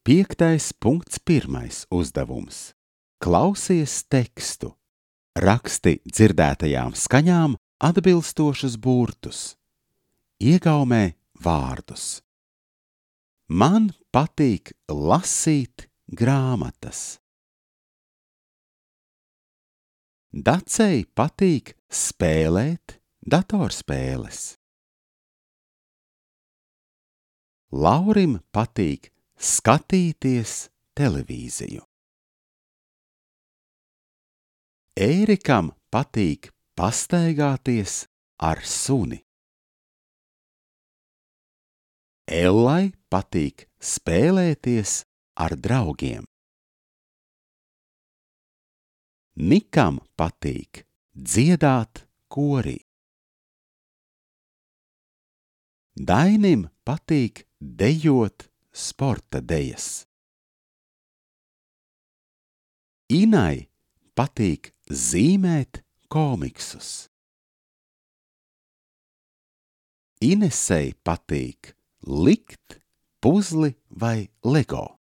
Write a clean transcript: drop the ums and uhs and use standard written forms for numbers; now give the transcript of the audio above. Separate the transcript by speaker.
Speaker 1: 5.1. uzdevums. Klausies tekstu. Raksti dzirdētajām skaņām atbilstošus burtus. Iegaumē vārdus. Man patīk lasīt grāmatas. Dacei patīk spēlēt datorspēles. Laurim patīk skatīties televīziju. Ērikam patīk pastaigāties ar suni. Ellai patīk spēlēties ar draugiem. Nikam patīk dziedāt korī. Dainim patīk dejot sporta dejas. Inai patīk zīmēt komiksus. Inesei patīk likt puzli vai lego.